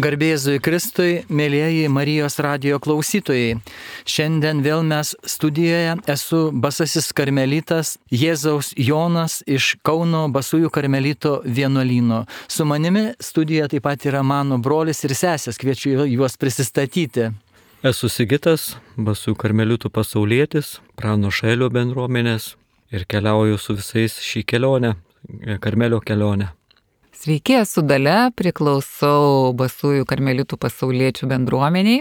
Garbė Jėzui Kristui, mėlyjeji Marijos radijo klausytojai. Šiandien vėl mes studijoje. Esu Basasis karmelitas Jėzaus Jonas iš Kauno Basųjų karmelito vienuolyno. Su manimi studijoje taip pat yra mano brolis ir sesės. Kviečiu juos prisistatyti. Esu Sigitas, Basųjų karmelitų pasaulietis, Prano Šailio bendruomenės ir keliauju su visais šį kelionę, Karmelio kelionę. Sveiki, esu Dalia, priklausau Basųjų karmelitų pasauliečių bendruomeniai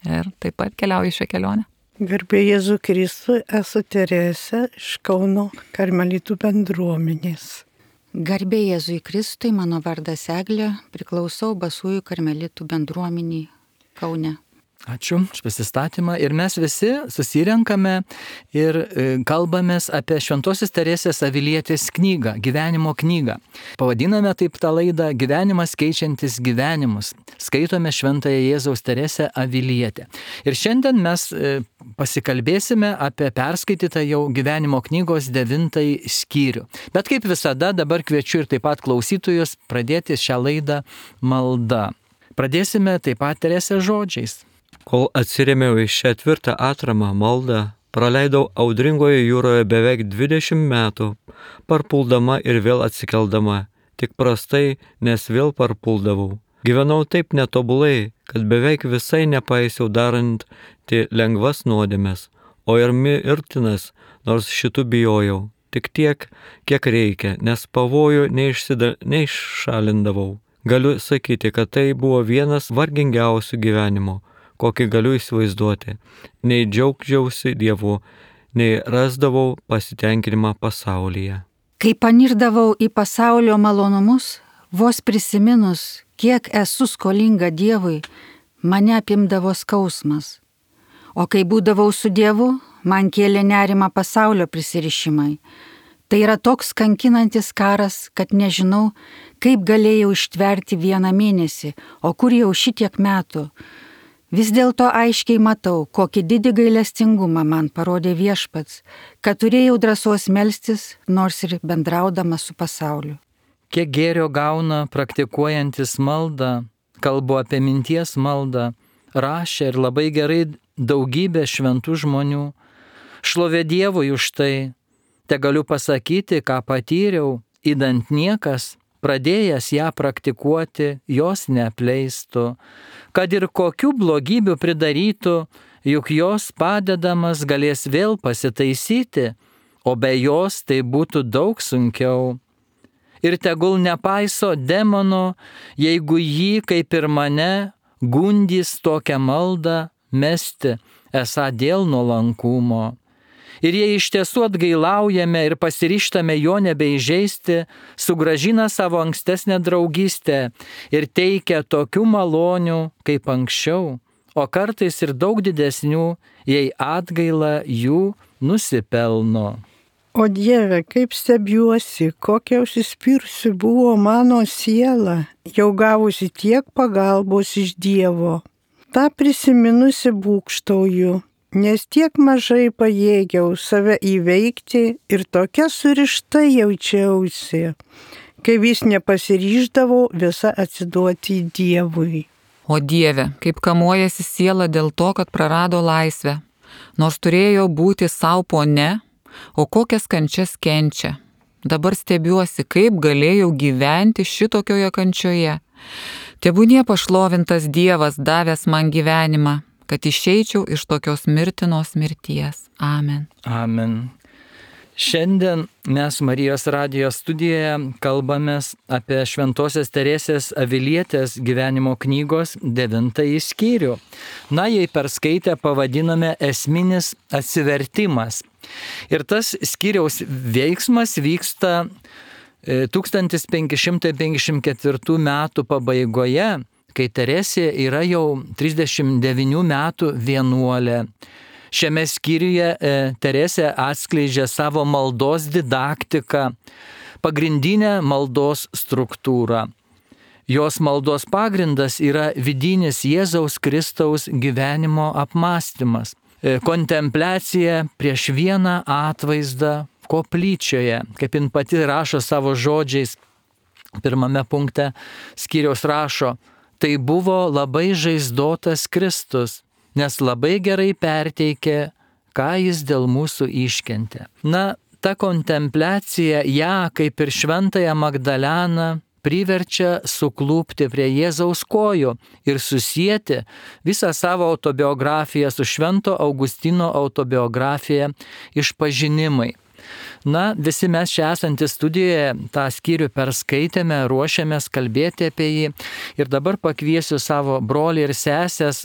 ir taip pat keliauju šią kelionę. Garbė Jėzui Kristui, esu Teresė iš Kauno karmelitų bendruomenės. Garbė Jėzui Kristui, mano vardas Eglė, priklausau Basųjų karmelitų bendruomeniai Kaune. Ačiū už prisistatymą. Ir mes visi susirenkame ir kalbamės apie Šventosios Teresės Avilietės knygą, gyvenimo knygą. Pavadiname taip tą laidą Gyvenimas keičiantis gyvenimus. Skaitome Šventąją Jėzaus Teresę Avilietę. Ir šiandien mes pasikalbėsime apie perskaitytą jau gyvenimo knygos 9 skyrių. Bet kaip visada, dabar kviečiu ir taip pat klausytojus pradėti šią laidą malda. Pradėsime taip pat Teresės žodžiais. Kol atsirėmiau į šią tvirtą atramą maldą, praleidau audringoje jūroje beveik 20 metų, parpuldama ir vėl atsikeldama, tik prastai, nes vėl parpuldavau. Gyvenau taip netobulai, kad beveik visai nepaisiau darant lengvas nuodėmes, o ir mirtinas, nors šitų bijojau, tik tiek, kiek reikia, nes pavojų neiššalindavau. Galiu sakyti, kad tai buvo vienas vargingiausių gyvenimo, kokį galiu įsivaizduoti. Nei džiaugčiausi Dievu, nei rasdavau pasitenkinimą pasaulyje. Kai panirdavau į pasaulio malonumus, vos prisiminus, kiek esu skolinga Dievui, mane apimdavo skausmas. O kai būdavau su Dievu, man kėlė nerimą pasaulio prisirišimai. Tai yra toks kankinantis karas, kad nežinau, kaip galėjau ištverti 1 mėnesį, o kur jau šitiek metų. Vis dėlto aiškiai matau, kokį didį gailestingumą man parodė Viešpats, kad turėjau drąsos melstis, nors ir bendraudama su pasauliu. Kiek gėrio gauna praktikuojantis maldą, kalbu apie minties maldą, rašė ir labai gerai daugybė šventų žmonių. Šlovė Dievui už tai, te galiu pasakyti, ką patyriau, idant niekas, pradėjęs ją praktikuoti, jos neapleistų, kad ir kokių blogybių pridarytų, juk jos padedamas galės vėl pasitaisyti, o be jos tai būtų daug sunkiau. Ir tegul nepaiso demono, jeigu jį, kaip ir mane, gundys tokią maldą mesti, esą dėl nuolankumo. Ir jei iš tiesų atgailaujame ir pasiryžtame jo nebeįžeisti, sugrąžina savo ankstesnę draugystę ir teikia tokių malonių kaip anksčiau, o kartais ir daug didesnių, jei atgaila jų nusipelno. O Dieve, kaip stebiuosi, kokia užsispyrusi buvo mano siela, jau gavusi tiek pagalbos iš Dievo. Ta prisiminusi būgštauju, nes tiek mažai pajėgiau save įveikti ir tokia surišta jaučiausi, kai vis nepasiryždavau visą atsiduoti Dievui. O Dieve, kaip kamuojasi siela dėl to, kad prarado laisvę, nors turėjo būti savo ponia, o kokias kančias kenčia. Dabar stebiuosi, kaip galėjau gyventi šitokioje kančioje. Tebūnie pašlovintas Dievas davęs man gyvenimą, kad išeičiau iš tokios mirtinos mirties. Amen. Amen. Šiandien mes Marijos radijo studijoje kalbamės apie Šventosios Teresės Avilietės gyvenimo knygos 9 skyrių. Na, jei perskaitę pavadiname esminis atsivertimas. Ir tas skyriaus veiksmas vyksta 1554 metų pabaigoje, kai Teresė yra jau 39 metų vienuolė. Šiame skyriuje Teresė atskleidžia savo maldos didaktiką, pagrindinę maldos struktūrą. Jos maldos pagrindas yra vidinis Jėzaus Kristaus gyvenimo apmąstymas, kontempliacija prieš vieną atvaizdą koplyčioje, kaip jin pati rašo savo žodžiais. Pirmame punkte skyriaus rašo: tai buvo labai žaizdotas Kristus, nes labai gerai perteikė, ką jis dėl mūsų iškentė. Na, ta kontempliacija ją, kaip ir šventąją Magdaleną, priverčia suklūpti prie Jėzaus kojų ir susijęti visą savo autobiografiją su Švento Augustino autobiografija Išpažinimai. Na, visi mes čia esantys studijoje tą skyrių perskaitėme, ruošiamės kalbėti apie jį ir dabar pakviesiu savo brolį ir sesės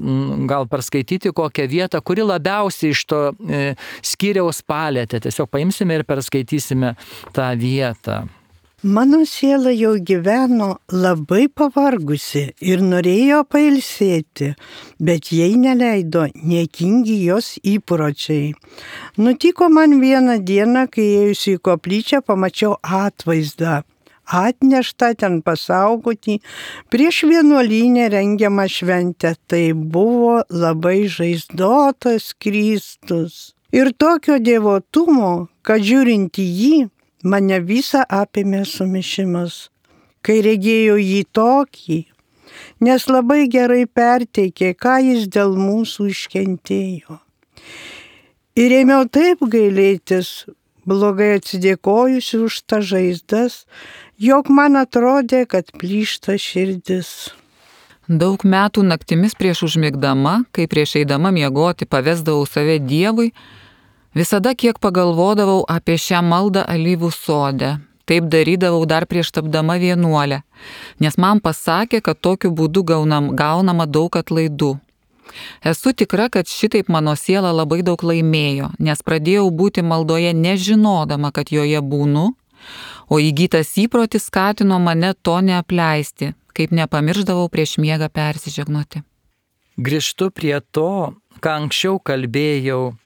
gal perskaityti kokią vietą, kuri labiausiai iš to skyriaus palėtė. Tiesiog paimsime ir perskaitysime tą vietą. Mano siela jau gyveno labai pavargusi ir norėjo pailsėti, bet jai neleido niekingi jos įpročiai. Nutiko man vieną dieną, kai ėjusi į koplyčią, pamačiau atvaizdą, atneštą ten pasaugoti prieš vienuolynę rengiamą šventę. Tai buvo labai žaizdotas Kristus. Ir tokio dievotumo, kad žiūrint į jį, mane visą apėmė sumišimas, kai regėjau jį tokį, nes labai gerai perteikė, ką jis dėl mūsų iškentėjo. Ir ėmiau taip gailėtis, blogai atsidėkojusi už tą žaizdas, jog man atrodė, kad plyšta širdis. Daug metų naktimis prieš užmigdama, kai prieš eidama miegoti pavesdavau save Dievui, visada kiek pagalvodavau apie šią maldą alyvų sode. Taip darydavau dar prieš tapdama vienuolę, nes man pasakė, kad tokiu būdu gaunama daug atlaidų. Esu tikra, kad šitaip mano siela labai daug laimėjo, nes pradėjau būti maldoje nežinodama, kad joje būnu, o įgytas įprotis skatino mane to neapleisti, kaip nepamirždavau prieš miegą persižegnoti. Grįžtu prie to, ką anksčiau kalbėjau,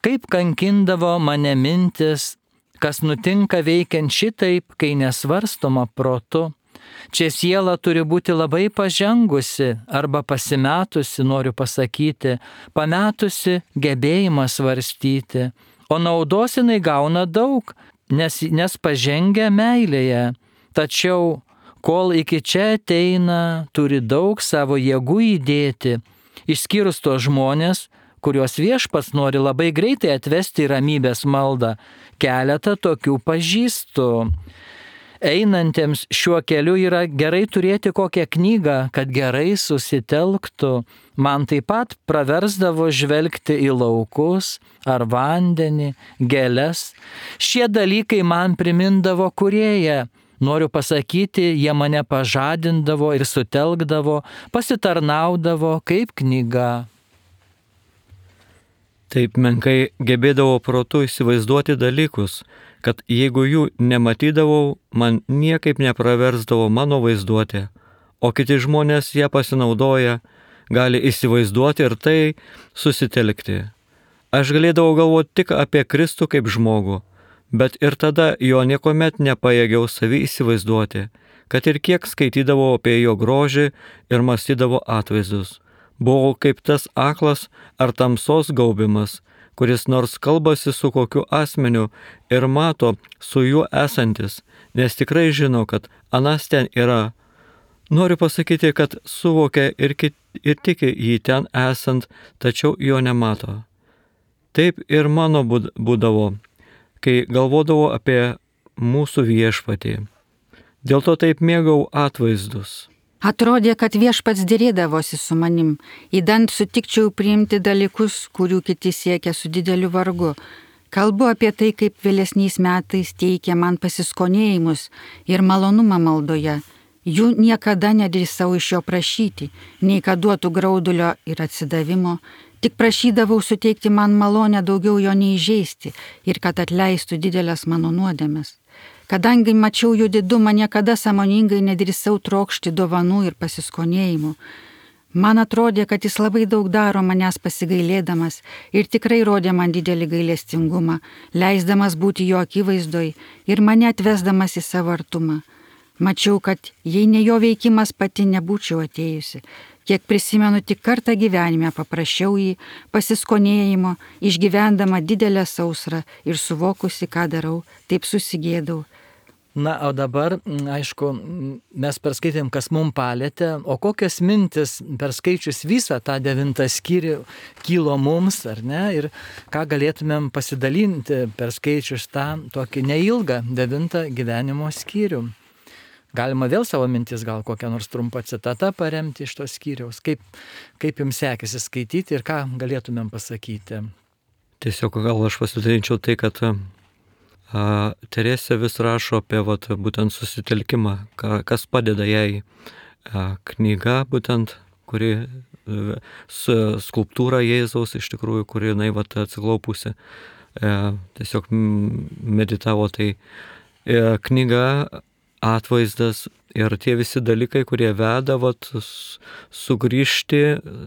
kaip kankindavo mane mintis, kas nutinka veikiant šitaip, kai nesvarstoma protu. Čia siela turi būti labai pažengusi arba pasimetusi, noriu pasakyti, pametusi gebėjimą svarstyti, o naudos jinai gauna daug, nes pažengia meilėje. Tačiau, kol iki čia ateina, turi daug savo jėgų įdėti, išskyrus tos žmonės, kuriuos Viešpats nori labai greitai atvesti į ramybės maldą. Keletą tokių pažįstu. Einantiems šiuo keliu yra gerai turėti kokią knygą, kad gerai susitelktų. Man taip pat praversdavo žvelgti į laukus ar vandenį, gėles. Šie dalykai man primindavo Kūrėją. Noriu pasakyti, jie mane pažadindavo ir sutelkdavo, pasitarnaudavo kaip knyga. Taip menkai gebėdavau protu įsivaizduoti dalykus, kad jeigu jų nematydavau, man niekaip nepraversdavo mano vaizduotė, o kiti žmonės ją pasinaudoja, gali įsivaizduoti ir tai susitelkti. Aš galėdavau galvoti tik apie Kristų kaip žmogų, bet ir tada jo niekuomet nepajėgiau savį įsivaizduoti, kad ir kiek skaitydavau apie jo grožį ir mąstydavau atvaizdus. Buvau kaip tas aklas ar tamsos gaubimas, kuris nors kalbasi su kokiu asmeniu ir mato su juo esantis, nes tikrai žino, kad anas ten yra. Noriu pasakyti, kad suvokia ir tiki jį ten esant, tačiau jo nemato. Taip ir mano būdavo, kai galvodavau apie mūsų Viešpatį. Dėl to taip mėgau atvaizdus. Atrodė, kad Viešpats dėrėdavosi su manim, įdant sutikčiau priimti dalykus, kurių kiti siekia su dideliu vargu. Kalbu apie tai, kaip vėlesniais metais teikia man pasiskonėjimus ir malonumą maldoje. Jų niekada nedrįsau iš jo prašyti, nei kad duotų graudulio ir atsidavimo, tik prašydavau suteikti man malonę daugiau jo neįžeisti ir kad atleistų didelės mano nuodėmes. Kadangi mačiau jų didumą, niekada sąmoningai nedrįsau trokšti dovanų ir pasiskonėjimų. Man atrodė, kad jis labai daug daro manęs pasigailėdamas ir tikrai rodė man didelį gailestingumą, leisdamas būti jo akivaizdoj ir mane atvesdamas į savo artumą. Mačiau, kad jei ne jo veikimas, pati nebūčiau atėjusi. Kiek prisimenu, tik kartą gyvenime paprašiau jį pasiskonėjimo, išgyvendama didelę sausrą ir suvokusi, ką darau, taip susigėdau. Na, o dabar, aišku, mes perskaitėm, kas mums palėtė, o kokios mintis perskaičius visą tą 9 skyrių kilo mums, ar ne, ir ką galėtumėm pasidalinti perskaičius tą tokį neilgą 9 gyvenimo skyrių. Galima vėl savo mintis, gal kokią nors trumpą citatą paremti iš tos skyriaus. Kaip jums sekėsi skaityti ir ką galėtumėm pasakyti? Tiesiog gal aš pasidalinčiau tai, kad Teresė vis rašo apie būtent susitelkimą, kas padeda jai. Knyga būtent, kuri skulptūra Jėzaus iš tikrųjų, kuri jinai atsiklaupusi, tiesiog meditavo. Tai knyga, atvaizdas ir tie visi dalykai, kurie veda sugrįžti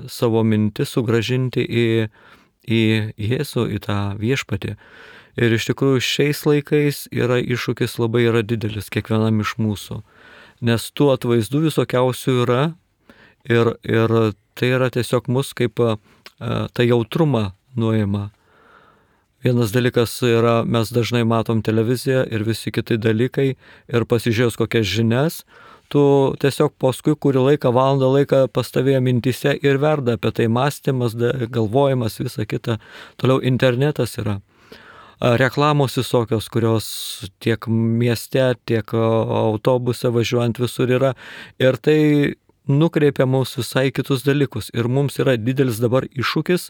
savo mintis, sugražinti į Jėzų, į tą viešpatį. Ir iš tikrųjų šiais laikais iššūkis labai didelis kiekvienam iš mūsų, nes tų atvaizdų visokiausių yra ir tai yra tiesiog mus kaip tą jautrumą nuima. Vienas dalykas yra, mes dažnai matom televiziją ir visi kiti dalykai ir pasižiūrėjus kokias žinias, tu tiesiog paskui kurį laiką, valandą laiką pas tavėje mintise ir verda apie tai mąstymas, galvojimas, visa kita. Toliau internetas yra. Reklamos visokios, kurios tiek mieste, tiek autobuse važiuojant visur yra. Ir tai nukreipia mus visai kitus dalykus. Ir mums yra didelis dabar iššūkis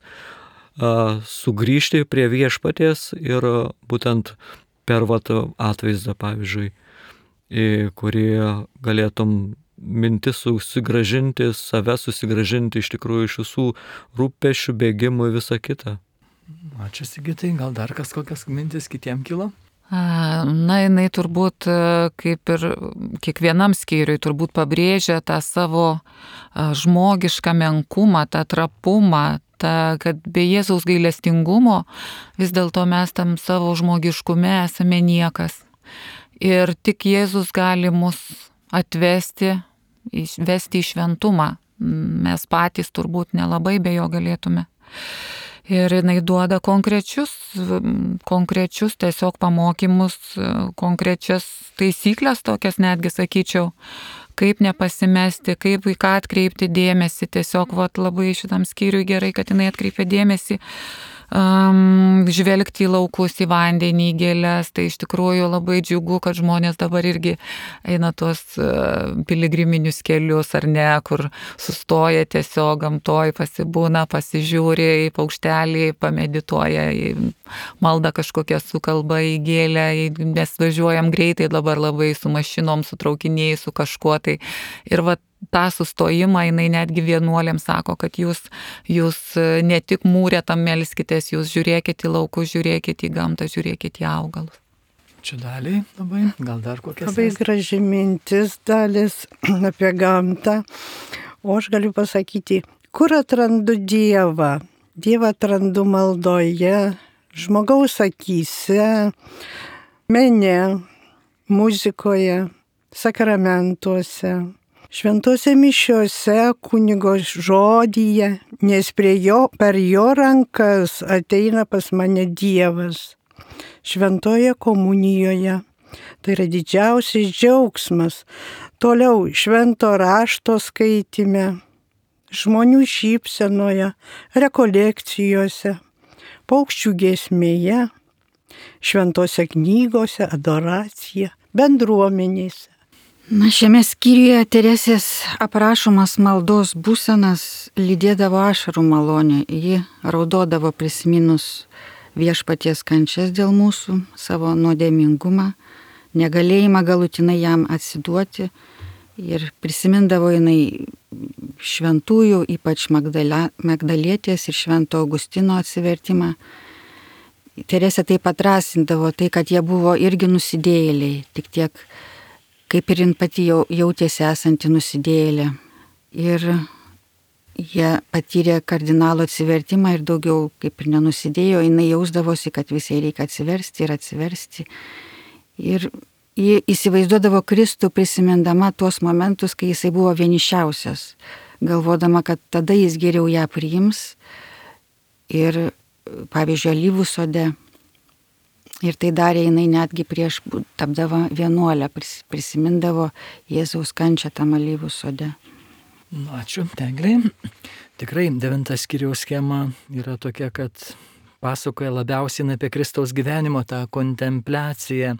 sugrįžti prie viešpaties ir būtent per atvaizdą, pavyzdžiui, į kurį galėtum mintis susigražinti, save susigražinti iš tikrųjų iš visų rūpesčių, bėgimų ir visą kitą. Ačiū, Sigitai, gal dar kokias mintis kitiem kilo? Na, jinai turbūt, kaip ir kiekvienam skyriui, turbūt pabrėžia tą savo žmogišką menkumą, tą trapumą, kad be Jėzaus gailestingumo vis dėlto mes tam savo žmogiškume esame niekas. Ir tik Jėzus gali mus atvesti, vesti į šventumą. Mes patys turbūt nelabai be jo galėtume. Ir jinai duoda konkrečius tiesiog pamokymus, konkrečias taisyklės, tokias netgi sakyčiau, kaip nepasimesti, kaip į ką atkreipti dėmesį. Tiesiog labai šitam skyriui gerai, kad jinai atkreipia dėmesį, žvelgti į laukus, į vandenį, į gėles. Tai iš tikrųjų labai džiugu, kad žmonės dabar irgi eina tuos piligriminius kelius, ar ne, kur sustoja tiesiog gamtoj, pasibūna, pasižiūri į paukštelį, pamedituoja, į maldą kažkokią sukalba, į gėlę, mes važiuojam greitai dabar labai su mašinom, su traukiniais, su kažkuo tai. Ir tą sustojimą jinai netgi vienuolėms sako, kad jūs ne tik mūrė tam melskitės, jūs žiūrėkite į laukus, žiūrėkite į gamtą, žiūrėkite į augalus. Čia Daliai labai, gal dar kokias? Labai graži mintis, Dalis, apie gamtą. O aš galiu pasakyti, kur atrandu Dievą? Dievą atrandu maldoje, žmogaus akyse, mene, muzikoje, sakramentuose, šventose mišiose, kunigo žodyje, nes per jo rankas ateina pas mane Dievas. Šventoje komunijoje. Tai yra didžiausias džiaugsmas. Toliau švento rašto skaitime, žmonių šypsenoje, rekolekcijose, paukščių giesmėje, šventose knygose, adoracija, bendruomenėse. Na, šiame skyriuje Teresės aprašomas maldos būsenas lydėdavo ašarų malonė. Ji raudodavo prisiminus viešpaties kančias dėl mūsų, savo nuodėmingumą, negalėjimą galutinai jam atsiduoti. Ir prisimindavo jinai šventųjų, ypač Magdalietės ir Švento Augustino atsivertimą. Teresė taip padrasindavo tai, kad jie buvo irgi nusidėjėliai, tik tiek kaip ir jin pati jautėsi esanti nusidėjėlė. Ir jie patyrė kardinalo atsivertimą ir daugiau kaip ir nenusidėjo, jinai jausdavosi, kad visai reikia atsiversti ir atsiversti. Ir ji įsivaizduodavo Kristų prisimindama tuos momentus, kai jisai buvo vienišiausias, galvodama, kad tada jis geriau ją priims. Ir pavyzdžiui, alyvų sode Ir tai darė jinai netgi prieš tapdama vienuolę, prisimindavo Jėzaus kančią tam alyvų sode. Ačiū, Teglei. Tikrai 9 skyriaus schema yra tokia, kad pasakoja labiausiai apie Kristaus gyvenimo tą kontempliaciją.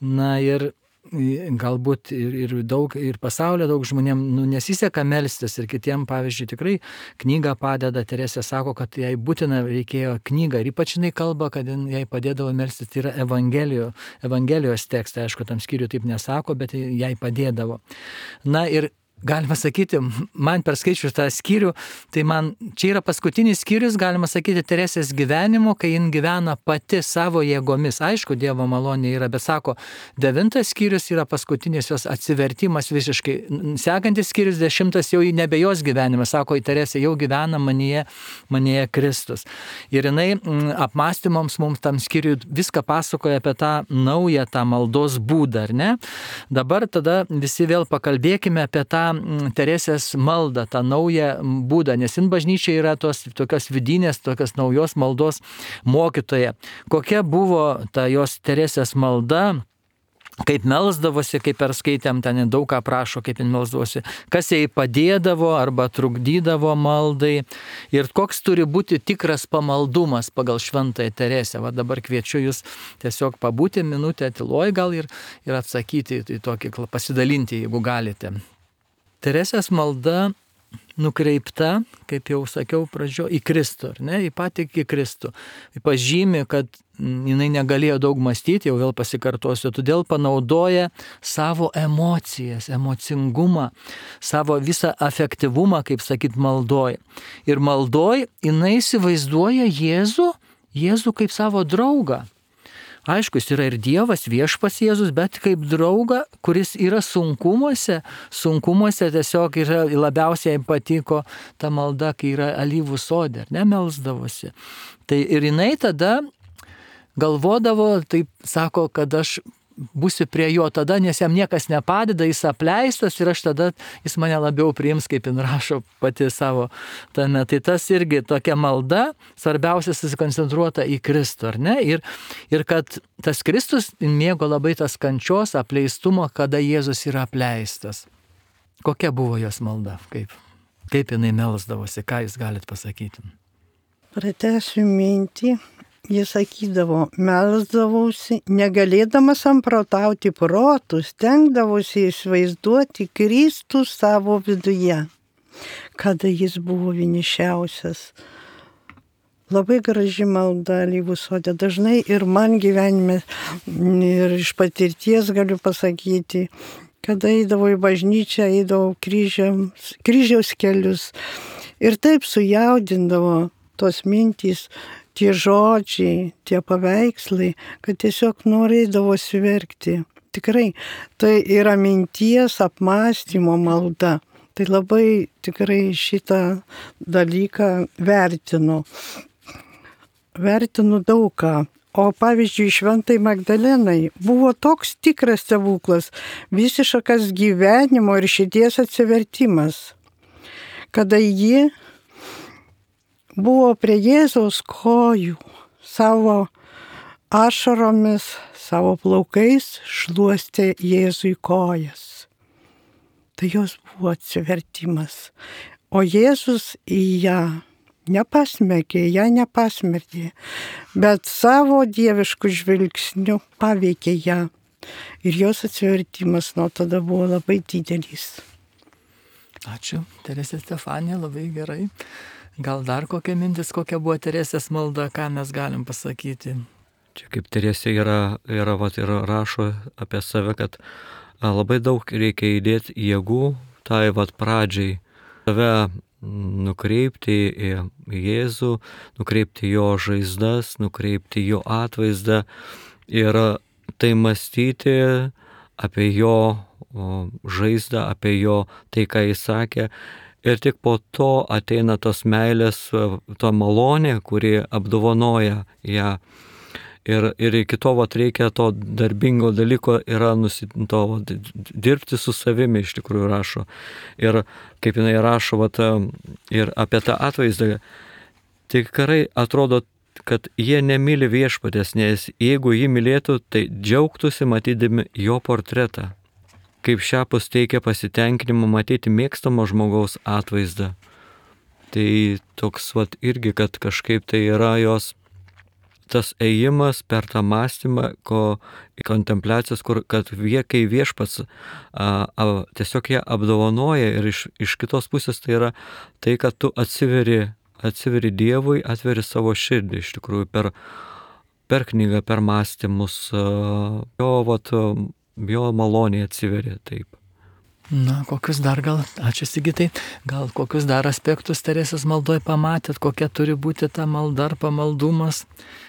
Na ir galbūt ir pasaulio daug žmonėm nesiseka melstis ir kitiem, pavyzdžiui, tikrai knyga padeda. Teresė sako, kad jai būtina reikėjo knygą ir ypač jinai kalba, kad jai padėdavo melstis, tai yra Evangelijos tekstai, aišku, tam skyriui taip nesako, bet jai padėdavo. Na ir galima sakyti, man perskaičius tą skyrių, tai man čia yra paskutinis skyrius, galima sakyti, Teresės gyvenimo, kai jin gyvena pati savo jėgomis. Aišku, Dievo malonė yra, bet sako, 9 skyrius yra paskutinis jos atsivertimas visiškai. Sekantis skyrius 10 jau nebe jos gyvenimas, sako, Teresė jau gyvena manyje Kristus. Ir jinai apmąstymams mums tam skyriui viską pasakoja apie tą naują, tą maldos būdą, ar ne? Dabar tada visi vėl pakalbėkime apie tą Teresės maldą, tą naują būdą, nes jin bažnyčia yra tokios vidinės, tokios naujos maldos mokytoja. Kokia buvo ta jos Teresės malda, kaip melsdavosi, kaip perskaitėm, ten daug ką prašo, kaip jin melsdavosi, kas jai padėdavo arba trukdydavo maldai ir koks turi būti tikras pamaldumas pagal Šventąją Teresę. Va dabar kviečiu jūs tiesiog pabūti minutę tyloj gal ir atsakyti į tokį, pasidalinti, jeigu galite. Teresės malda nukreipta, kaip jau sakiau pradžio, į Kristų, ar ne, į patį Kristų. Pažymi, kad jinai negalėjo daug mąstyti, jau vėl pasikartosiu, todėl panaudoja savo emocijas, emocingumą, savo visą afektyvumą, kaip sakyt, maldoj. Ir maldoj jinai įsivaizduoja Jėzų kaip savo draugą. Aišku, jis yra ir Dievas, viešpats Jėzus, bet kaip draugą, kuris yra sunkumuose tiesiog yra, labiausiai patiko ta malda, kai yra alyvų sode, melsdavosi. Tai ir jinai tada galvodavo, taip sako, kad aš būsiu prie jo tada, nes jam niekas nepadeda, jis apleistas ir jis mane labiau priims, kaip jin rašo pati savo tame. Tai tas irgi tokia malda, svarbiausia susikoncentruota į Kristų, ar ne? Ir kad tas Kristus mėgo labai tas kančios, apleistumo, kada Jėzus yra apleistas. Kokia buvo jos malda? Kaip jinai melsdavosi? Ką jūs galite pasakyti? Pratęsiu mintį. Jis sakydavo, melsdavausi, negalėdamas samprotauti protų, stengdavosi įsivaizduoti Kristų savo viduje, kada jis buvo vienišiausias. Labai graži malda alyvų sode. Dažnai ir man gyvenime, ir iš patirties galiu pasakyti, kada eidavau į bažnyčią, eidavau kryžiaus kelius ir taip sujaudindavo tos mintys, tie žodžiai, tie paveikslai, kad tiesiog norėdavosi verkti. Tikrai, tai yra minties apmąstymo malda. Tai labai tikrai šitą dalyką vertinu. Vertinu daug ką. O pavyzdžiui, Šventai Magdalenai buvo toks tikras stebuklas, visiškas gyvenimo ir širdies atsivertimas, kada ji buvo prie Jėzaus kojų, savo ašaromis, savo plaukais šluostė Jėzui kojas. Tai jos buvo atsivertimas. O Jėzus į ją nepasmerkė, bet savo dieviškų žvilgsnių paveikė ją. Ir jos atsivertimas nuo tada buvo labai didelis. Ačiū, Teresė Stefanija, labai gerai. Gal dar kokia mintis, kokia buvo Teresės malda, ką mes galim pasakyti? Čia kaip Teresė yra ir rašo apie save, kad labai daug reikia įdėti jėgų tai pradžiai. Save nukreipti į Jėzų, nukreipti jo žaizdas, nukreipti jo atvaizdą ir tai mąstyti apie jo žaizdą, apie jo tai, ką jis sakė. Ir tik po to ateina tos meilės, to malonė, kuri apdovanoja ją. Ir iki to reikia to darbingo dalyko, yra dirbti su savimi, iš tikrųjų rašo. Ir kaip jinai rašo ir apie tą atvaizdą, tikrai atrodo kad jie nemyli viešpatės, nes jeigu jį mylėtų, tai džiaugtųsi matydami jo portretą. Kaip šiapus teikia pasitenkinimą matyti mėgstamo žmogaus atvaizdą. Tai toks irgi, kad kažkaip tai yra jos tas ėjimas per tą mąstymą, kontempliacijos, kad kai viešpats tiesiog ją apdovanoja ir iš kitos pusės tai yra tai, kad tu atsiveri Dievui, atveri savo širdį iš tikrųjų per knygą, per mąstymus, jo malonė atsiveri taip. Na, kokius dar ačiū Sigitai, gal kokius dar aspektus Teresės maldoje pamatėt, kokia turi būti ta malda ar pamaldumas,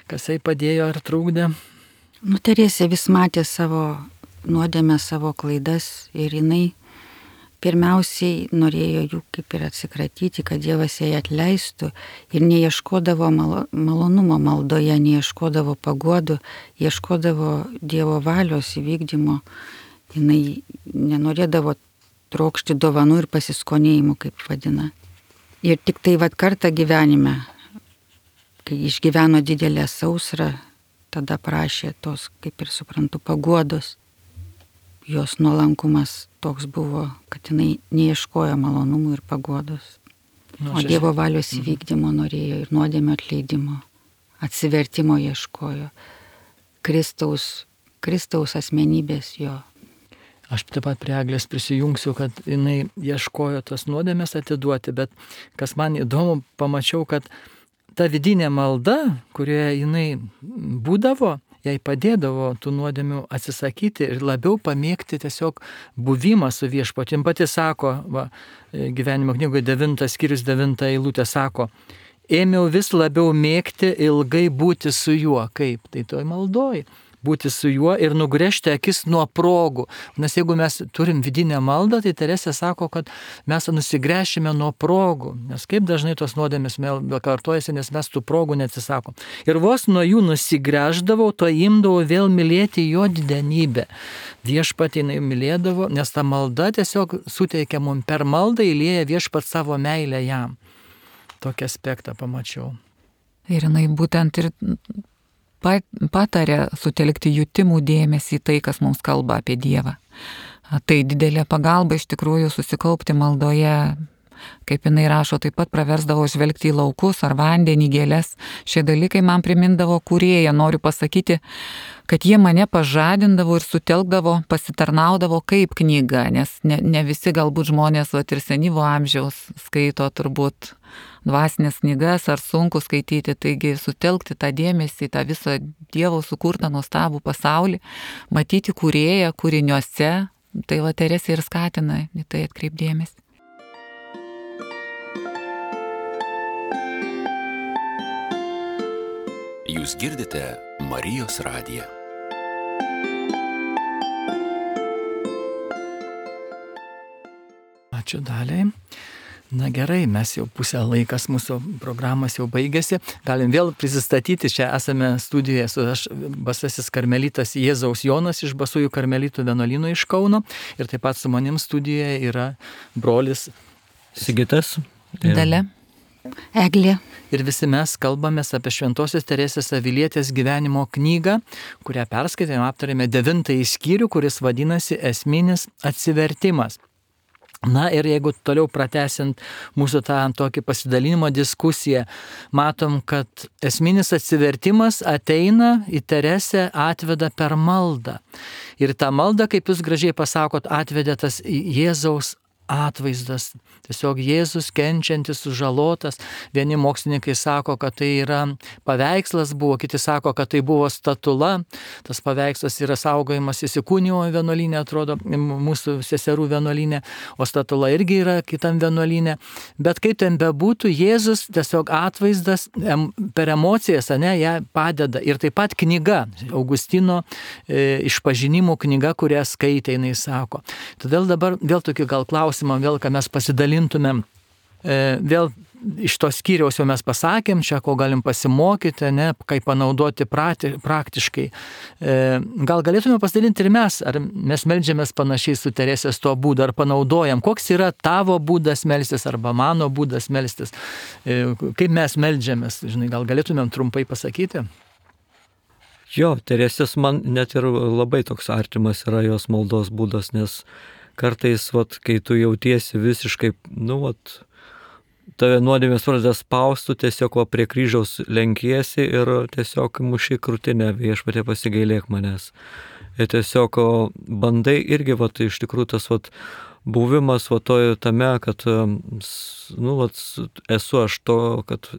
kas jai padėjo ar trukdė? Teresė vis matė savo nuodėmę, savo klaidas ir jinai pirmiausiai norėjo jų kaip ir atsikratyti, kad Dievas jai atleistų ir neieškodavo malonumo maldoje, neieškodavo paguodų, ieškodavo Dievo valios įvykdymo. Jinai nenorėdavo trokšti dovanų ir pasiskonėjimų, kaip vadina. Ir tik tai kartą gyvenime, kai išgyveno didelę sausrą, tada prašė tos, kaip ir suprantu, paguodos. Jos nuolankumas toks buvo, kad jinai neieškojo malonumų ir paguodos. O Dievo valios įvykdymo norėjo ir nuodėmio atleidimo, atsivertimo ieškojo. Kristaus asmenybės jo. Aš taip pat prie Eglės prisijungsiu, kad jinai ieškojo tos nuodėmės atiduoti, bet kas man įdomu, pamačiau, kad ta vidinė malda, kurioje jinai būdavo, jai padėdavo tų nuodėmių atsisakyti ir labiau pamėgti tiesiog buvimą su viešpatim. Pati sako, gyvenimo knygoje 9 skyrius 9 eilutė sako, ėmiau vis labiau mėgti ilgai būti su juo. Kaip? Tai toj maldoj. Būti su juo ir nugręžti akis nuo progų. Nes jeigu mes turim vidinę maldą, tai Teresė sako, kad mes nusigręšime nuo progų. Nes kaip dažnai tos nuodėmės vėl kartojasi, nes mes tų progų neatsisakom. Ir vos nuo jų nusigręždavau, to imdavau vėl mylėti jo didenybę. Viešpatį jinai mylėdavo, nes ta malda tiesiog suteikia mums per maldą, įlieja viešpat savo meilę jam. Tokį aspektą pamačiau. Ir jinai būtent ir patarė sutelkti jutimų dėmesį į tai, kas mums kalba apie Dievą. Tai didelė pagalba iš tikrųjų susikaupti maldoje, kaip jinai rašo, taip pat praversdavo žvelgti į laukus ar vandenį, gėles. Šie dalykai man primindavo kūrėją, noriu pasakyti, kad jie mane pažadindavo ir sutelkdavo, pasitarnaudavo kaip knyga, nes ne visi galbūt žmonės ir senyvo amžiaus skaito turbūt dvasinės knygas ar sunku skaityti, taigi sutelkti tą dėmesį, tą visą Dievo sukurtą nuostabų pasaulį, matyti kūrėją kūriniuose, tai Teresė ir skatina į tai atkreipdėmesį. Jūs girdite Marijos radiją. Ačiū Daliai. Na gerai, mes jau pusę laikas, mūsų programas jau baigėsi. Galim vėl prisistatyti, čia esame studijoje su aš, Basasis karmelitas Jėzaus Jonas iš Basųjų karmelitų vienuolyno iš Kauno. Ir taip pat su manim studijoje yra brolis Sigitas. Dalia. Eglė. Ir visi mes kalbamės apie Šventosios Teresės Avilietės gyvenimo knygą, kurią perskaitėme, aptarėme 9 skyrių, kuris vadinasi Esminis atsivertimas. Na ir jeigu toliau pratęsiant mūsų tą tokį pasidalinimo diskusiją, matom, kad esminis atsivertimas ateina į Teresę, atveda per maldą. Ir tą maldą, kaip jūs gražiai pasakot, atvedė tas Jėzaus atvaizdas. Tiesiog Jėzus kenčiantis, sužalotas. Vieni mokslininkai sako, kad tai yra paveikslas buvo, kiti sako, kad tai buvo statula. Tas paveikslas yra saugojimas įsikūnijimo vienuolyne, atrodo, mūsų seserų vienuolyne, o statula irgi yra kitam vienuolyne. Bet kaip ten bebūtų, Jėzus tiesiog atvaizdas per emocijas, ją padeda. Ir taip pat knyga, Augustino išpažinimų knyga, kurią skaitė, jinai sako. Todėl dabar vėl tokį gal klausimą, vėl, ką mes pasidalintumėm, vėl iš to skyriaus jau mes pasakėm, čia ko galim pasimokyti, ne, kaip panaudoti praktiškai. Gal galėtume pasidalinti ir mes, ar mes meldžiamės panašiai su Teresės tuo būdu, ar panaudojam, koks yra tavo būdas melstis, arba mano būdas melstis, kaip mes meldžiamės, žinai, gal galėtumėm trumpai pasakyti? Jo, Teresės man net ir labai toks artimas yra jos maldos būdas, nes kartais, kai tu jautiesi visiškai, tave nuodėmės pradeda spausti, tiesiog prie kryžiaus lenkiesi ir tiesiog muši krūtinę, Viešpatie pasigailėk manęs. Ir tiesiog bandai irgi, iš tikrųjų tas buvimas tame, kad esu aš to, kad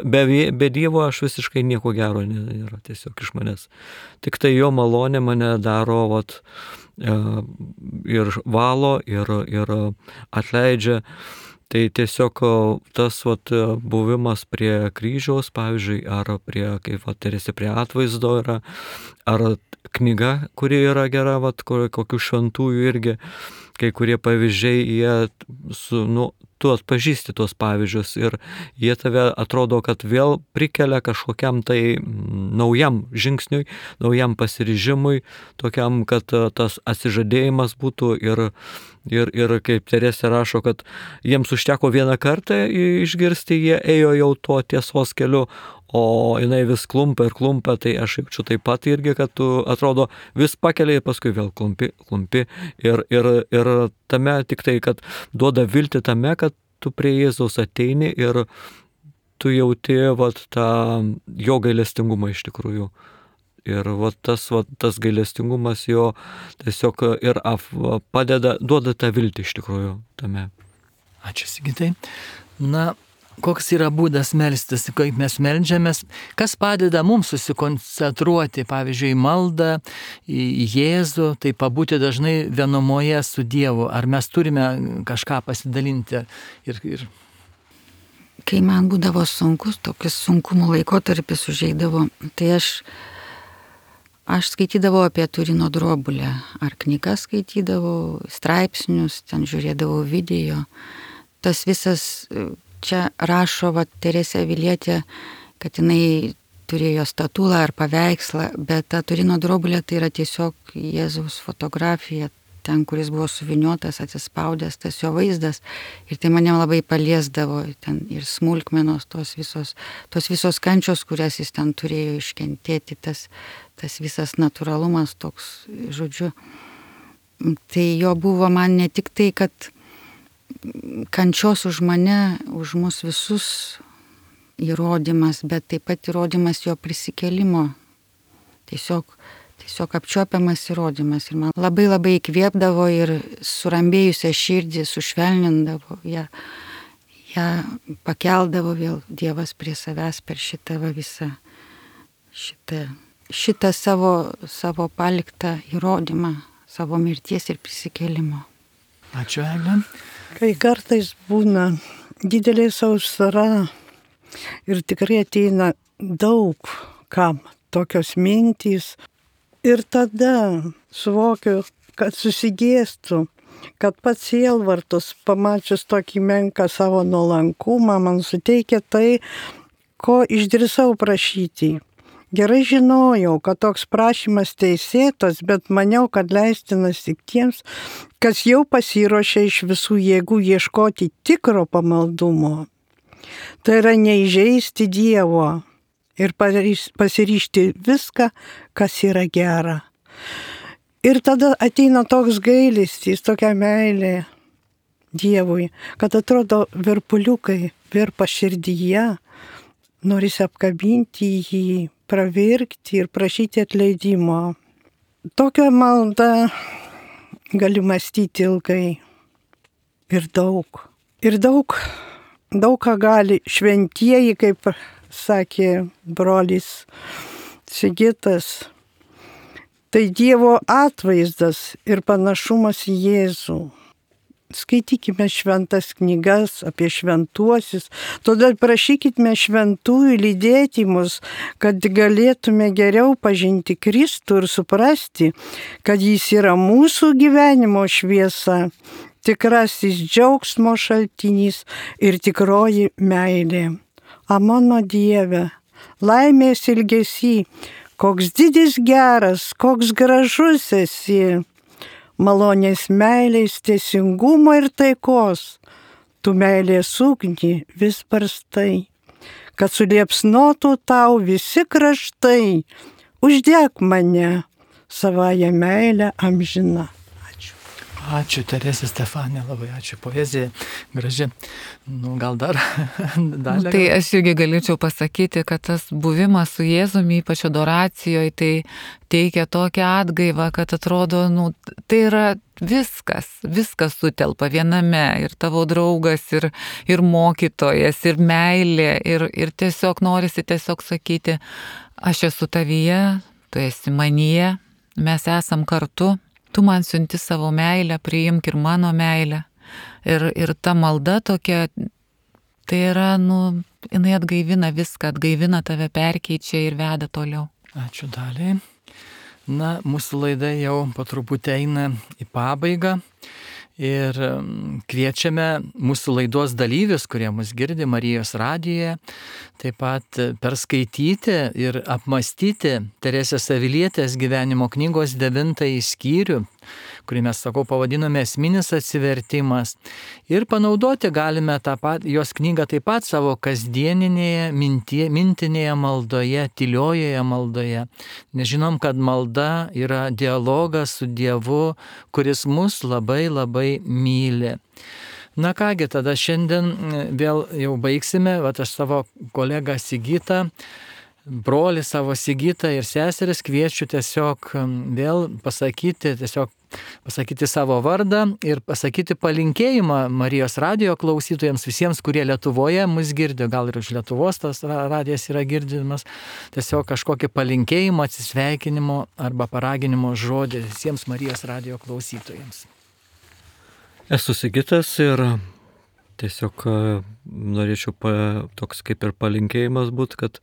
be Dievo aš visiškai nieko gero nėra tiesiog iš manęs. Tik tai jo malonė mane daro ir valo, ir atleidžia. Tai tiesiog tas buvimas prie kryžiaus, pavyzdžiui, ar kaip Teresė prie atvaizdo yra, ar knyga, kuri yra gera, kokių šventųjų irgi, kai kurie pavyzdžiai, tu atpažįsti tuos pavyzdžius ir jie tave atrodo, kad vėl prikelia kažkokiam tai naujam žingsniui, naujam pasiryžimui, tokiam, kad tas atsižadėjimas būtų ir kaip Teresė rašo, kad jiems užteko vieną kartą išgirsti, jie ėjo jau tuo tiesos keliu, o jinai vis klumpa ir klumpa, tai aš jaučiu taip pat irgi, kad tu atrodo vis pakeliai ir paskui vėl klumpi ir tame tik tai, kad duoda viltį tame, kad tu prie Jėzaus ateini ir tu jauti tą jo gailestingumą iš tikrųjų. Ir tas gailestingumas jo tiesiog ir padeda, duoda tą viltį iš tikrųjų tame. Ačiū, Sigitai. Koks yra būdas melstis, kaip mes meldžiamės, kas padeda mums susikoncentruoti, pavyzdžiui, į maldą, į Jėzų, tai pabūti dažnai vienumoje su Dievu. Ar mes turime kažką pasidalinti? Kai man būdavo sunkus, tokius sunkumų laikotarpis užeidavo, tai aš skaitydavau apie Turino drobulę, ar knygas skaitydavau, straipsnius, ten žiūrėdavau video. Tas visas... Čia rašo Teresė Avilietė, kad jinai turėjo statulą ar paveikslą, bet ta Turino drobulė tai yra tiesiog Jėzaus fotografija, ten, kuris buvo suviniotas, atsispaudęs tas jo vaizdas. Ir tai mane labai paliesdavo, ten ir smulkmenos, tos visos kančios, kurias jis ten turėjo iškentėti, tas visas natūralumas toks, žodžiu. Tai jo buvo man ne tik tai, kad kančios už mane, už mus visus įrodymas, bet taip pat įrodymas jo prisikėlimo. Tiesiog apčiuopiamas įrodymas. Ir man labai labai įkvėpdavo ir surambėjusią širdį sušvelnindavo. Ja pakeldavo vėl Dievas prie savęs per šitą savo paliktą įrodymą, savo mirties ir prisikėlimo. Ačiū, Eglė. Kai kartais būna didelė sausra ir tikrai ateina daug kam tokios mintys ir tada suvokiu, kad susigėstu, kad pats sielvartus, pamačius tokį menką savo nuolankumą, man suteikia tai, ko išdrįsau prašyti. Gerai žinojau, kad toks prašymas teisėtas, bet maniau, kad leistinas tik tiems, kas jau pasiruošė iš visų jėgų ieškoti tikro pamaldumo. Tai yra neįžeisti Dievo ir pasiryžti viską, kas yra gera. Ir tada ateina toks gailestis, tokia meilė Dievui, kad atrodo virpuliukai virpa širdyje, norisi apkabinti jį, pravirkti ir prašyti atleidimo. Tokią maldą gali mąstyti ilgai ir daug. Ir daug ką gali šventieji, kaip sakė brolis Sigitas. Tai Dievo atvaizdas ir panašumas į Jėzų. Skaitykime šventas knygas apie šventuosius, todėl prašykime šventųjų lydėti mus, kad galėtume geriau pažinti Kristų ir suprasti, kad jis yra mūsų gyvenimo šviesa. tikrasis džiaugsmo šaltinys ir tikroji meilė. A mano Dieve, laimės ilgesy, koks didis geras, koks gražus esi, malonės meilės, teisingumo ir taikos, tu meilės ugnį vis barstai, kad suliepsnotų tau visi kraštai, uždek mane savąją meilę amžiną. Ačiū, Teresė Stefanija, labai ačiū, poezija graži. Gal dar dalį? Tai aš irgi galėčiau pasakyti, kad tas buvimas su Jėzumi, ypač adoracijoje, tai teikia tokią atgaivą, kad atrodo, tai yra viskas sutelpa viename, ir tavo draugas, ir mokytojas, ir meilė, ir tiesiog norisi tiesiog sakyti, aš esu tavyje, tu esi manyje, mes esam kartu. Tu man siunti savo meilę, priimk ir mano meilę. Ir ta malda tokia, tai yra, jinai atgaivina viską, atgaivina tave, perkeičia ir veda toliau. Ačiū Daliai. Mūsų laida jau po truputį eina į pabaigą. Ir kviečiame mūsų laidos dalyvius, kurie mus girdi Marijos radijoje, taip pat perskaityti ir apmastyti Teresės Avilietės gyvenimo knygos 9 skyrių, kurį mes, pavadinome Esminis atsivertimas. Ir panaudoti galime jos knygą taip pat savo kasdieninėje mintinėje maldoje, tyliojoje maldoje. Nes žinom, kad malda yra dialogas su Dievu, kuris mus labai labai myli. Kągi, tada šiandien vėl jau baigsime. Aš savo kolegą Sigitą, brolį savo Sigitą ir seseris kviečiu tiesiog vėl pasakyti savo vardą ir pasakyti palinkėjimą Marijos radijo klausytojams, visiems, kurie Lietuvoje mus girdi, gal ir už Lietuvos tas radijas yra girdimas, tiesiog kažkokį palinkėjimą, atsisveikinimo arba paraginimo žodį visiems Marijos radijo klausytojams. Esu Sigitas ir tiesiog norėčiau toks kaip ir palinkėjimas būti, kad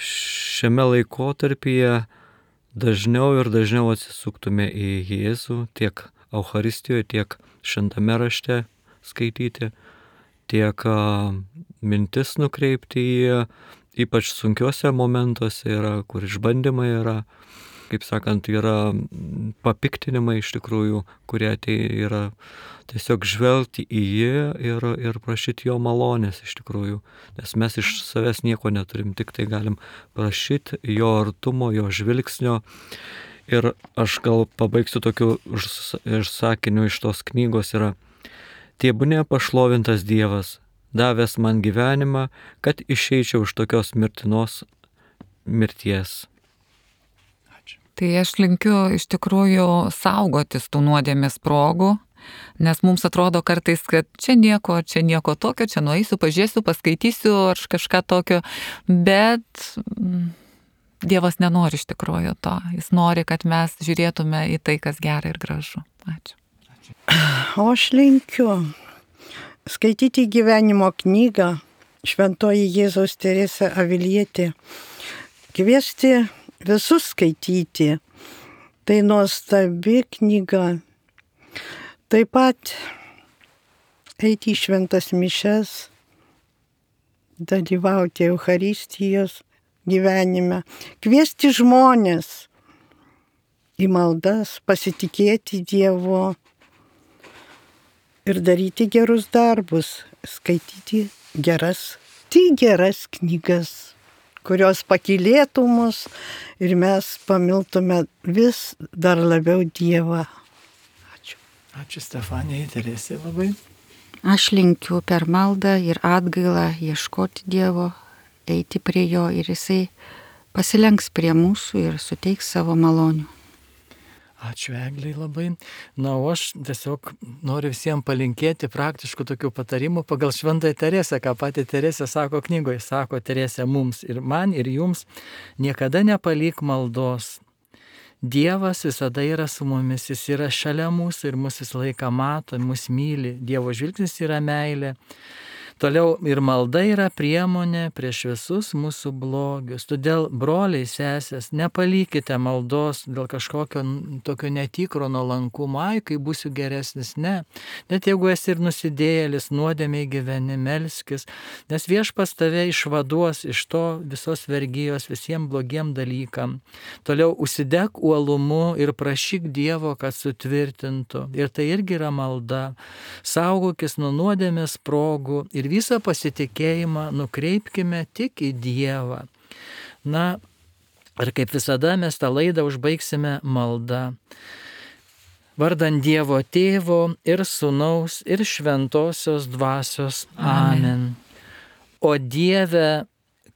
šiame laikotarpyje dažniau ir dažniau atsisuktume į Jėzų, tiek Eucharistijoje, tiek Šventame rašte skaityti, tiek mintis nukreipti į ypač sunkiuose momentuose yra, kur išbandymai yra, kaip sakant, yra papiktinimai iš tikrųjų, kurie yra tiesiog žvelgti į jį ir prašyti jo malonės iš tikrųjų. Nes mes iš savęs nieko neturim, tik tai galim prašyti jo artumo, jo žvilgsnio. Ir aš gal pabaigsiu tokiu sakiniu iš tos knygos yra: Tebūnie pašlovintas Dievas, davęs man gyvenimą, kad išeičiau iš tokios mirtinos mirties. Tai aš linkiu iš tikrųjų saugotis tų nuodėmės progų, nes mums atrodo kartais, kad čia nieko tokio, čia nueisiu, pažiūrėsiu, paskaitysiu ar kažką tokio, bet Dievas nenori iš tikrųjų to. Jis nori, kad mes žiūrėtume į tai, kas gera ir gražu. Ačiū. O aš linkiu skaityti gyvenimo knygą Šventoji Jėzaus Teresė Avilietė, kviesti visus skaityti. Tai nuostabi knyga. Taip pat eiti į šventas mišias, dalyvauti Eucharistijos gyvenime, kviesti žmonės į maldas, pasitikėti Dievu ir daryti gerus darbus, skaityti geras knygas, kurios pakylėtų mus ir mes pamiltume vis dar labiau Dievą. Ačiū. Ačiū Stefanijai, Teresė labai. Aš linkiu per maldą ir atgailą ieškoti Dievo, eiti prie jo ir jisai pasilenks prie mūsų ir suteiks savo malonių. Ačiū Egliai labai. O aš tiesiog noriu visiems palinkėti praktiškų tokių patarimų pagal Šventąją Teresę, ką pati Teresė sako knygoje. Sako Teresė mums ir man ir jums: niekada nepalik maldos. Dievas visada yra su mumis, jis yra šalia mūsų ir mus visą laiką mato, mus myli. Dievo žvilgsnis yra meilė. Toliau ir malda yra priemonė prieš visus mūsų blogius. Todėl, broliai, sesės, nepalykite maldos dėl kažkokio tokio netikro nuolankumo, kai būsiu geresnis, ne. Net jeigu esi ir nusidėjėlis, nuodėmiai gyveni, melskis, nes Viešpats tave išvaduos iš to visos vergijos visiems blogiem dalykam. Toliau užsidek uolumu ir prašyk Dievo, kad sutvirtintų. Ir tai irgi yra malda. Saugokis nuo nuodėmės progų ir visą pasitikėjimą nukreipkime tik į Dievą. Na, ir kaip visada mes tą laidą užbaigsime malda. Vardant Dievo Tėvo ir Sūnaus ir Šventosios Dvasios. Amen. O Dieve,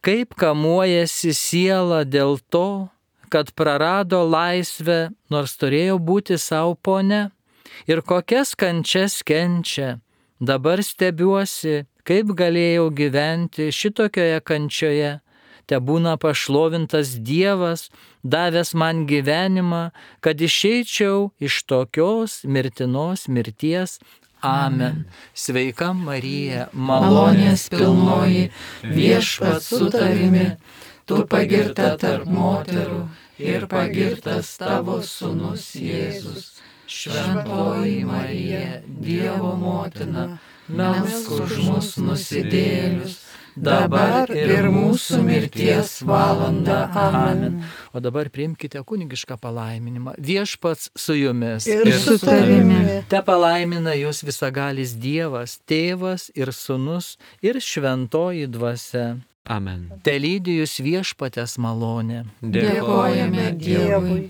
kaip kamuojasi siela dėl to, kad prarado laisvę, nors turėjo būti savo pone, ir kokias kančias kenčia. Dabar stebiuosi, kaip galėjau gyventi šitokioje kančioje. Tebūna pašlovintas Dievas, davęs man gyvenimą, kad išeičiau iš tokios mirtinos mirties. Amen. Sveika Marija, malonės pilnoji, Viešpats su tavimi, tu pagirta tarp moterų ir pagirtas tavo sūnus Jėzus. Šventoji Marija, Dievo motina, melsk už mus nusidėjėlius, dabar ir mūsų mirties valanda. Amen. O dabar priimkite kunigišką palaiminimą. Viešpats su jumis. Ir su tavimi. Te palaimina jūs visagalis Dievas, Tėvas ir Sūnus ir Šventoji Dvasia. Amen. Te lydi jūs Viešpaties malonė. Dėkojame Dievui.